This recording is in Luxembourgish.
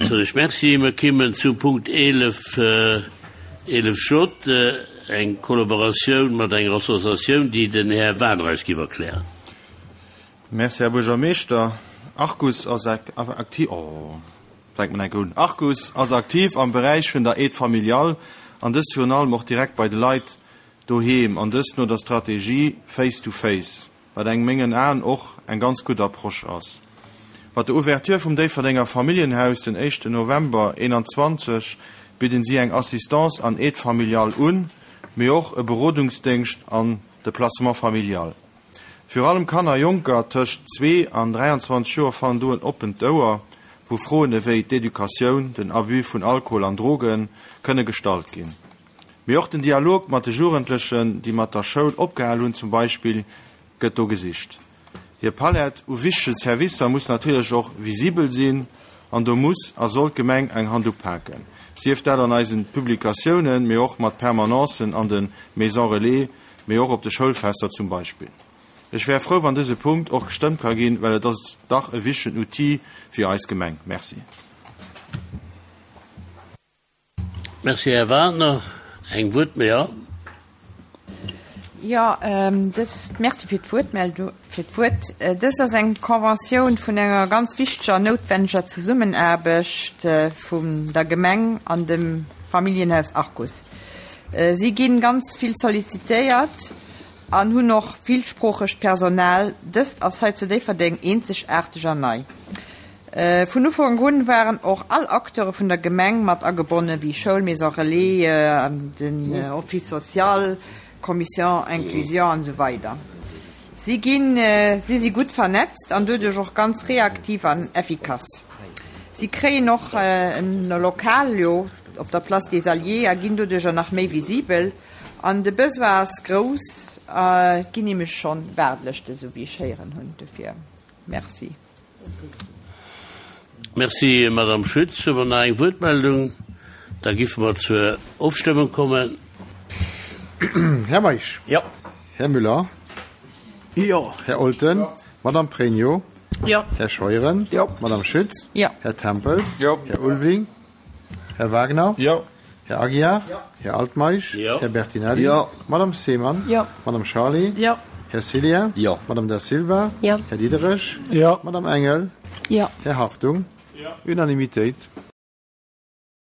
Soen ech Merci. Mer kimmen zum Punkt 11, 11 J, eng Kollaboratioun mat enger Associatioun, déi den Här Wagner eis giff erklären. Merci, Här Buergermeeschter. Arcus ass aktiv, oh, fänkt mer enk un. Arcus ass aktiv am Beräich vun der Aide familiale an dëst virun allem och direkt bei de Leit doheem an dëst no der Strategie Face to Face. wat eng mengen Aen och eng ganz gutt Approche ass. Mat der Ouverture vum Déifferdenger Familljenhaus den éischten November 21 bidden si eng Assistance an Aide familiale un, mee och e Berodungsdéngscht an de Placement familial. Virun allem Kanner a Jonker tëscht zwee an 23 Joer fannen do en oppent Ouer, wou Froen ewéi d'Educatioun, den Abus vun Alkohol an Droge kënne gestallt ginn. Mee och den Dialog mat de Jugendlechen, déi mat der Schoul opgehal hunn zum Beispill, gëtt do gesicht. Hir Palett u wichtege Servicer muss natierlech och visibel sinn an do muss a soll d'Gemeng eng Hand upaken, sief dat an eisen Publikatiounen, mee och mat Permanencen an de Maisons Relais, mee och op de Schoulfester zum Beispill. Ech wär frou, wann dëse Punkt och gestëmmt ka ginn, well et ass dach e wichtegen Outil fir eis Gemeng. Merci. Merci, Här Wagner. Eng Wuertme-, jo. Jo, dës, Merci fir d'Wuertmeldung, fir d'Wuert. Dëst ass eng Conventioun vun enger ganz wichteger an noutwendeger Zesummenaarbecht vun der Gemeng an dem Familljenhaus Arcus. Si gi ganz vill sollicitéiert an hunn och villsproochegt Personal. Dëst ass hei zu Déifferdeng eenzegaarteg an nei. Vun Ufank un waren och all Acteure vun der Gemeng mat agebonnen, wéi Schoul, Maison Relais, den Office social, Commission Inclusion an esou weider. Si ginn, si si gutt vernetzt an doduerch och ganz reaktiv an effikass. Si kréien och en Lokal jo op der Place des Alliés a ginn doduercher nach méi visibel. An de Besoin ass grouss, et ginn nämlech schonn Waardelëschten, esou wéi ech héieren hunn. Dofir Merci. Merci, Madame Schütz. Hu mer nach eng Wuertmeldung? Da giffe mer zur Ofstëmmung kommen. Här Meisch. Jo. Här Müller. Jo. Här Olten. Jo. Madame Pregno. Jo. Här Scheuren. Jo. Madame Schütz. Jo. Här Tempels. Jo. Här Ulving. Här Wagner. Jo. Här Aguiar. Jo. Här Altmeisch. Jo. Här Bertinelli. Jo. Madame Seemann. Jo. Madame Charlé. Jo. Här Cillien. Jo. Madame Da Silva. Jo. Här Diderich. Jo. Madame Engel. Jo. Här Hartung. Jo. Unanimitéit.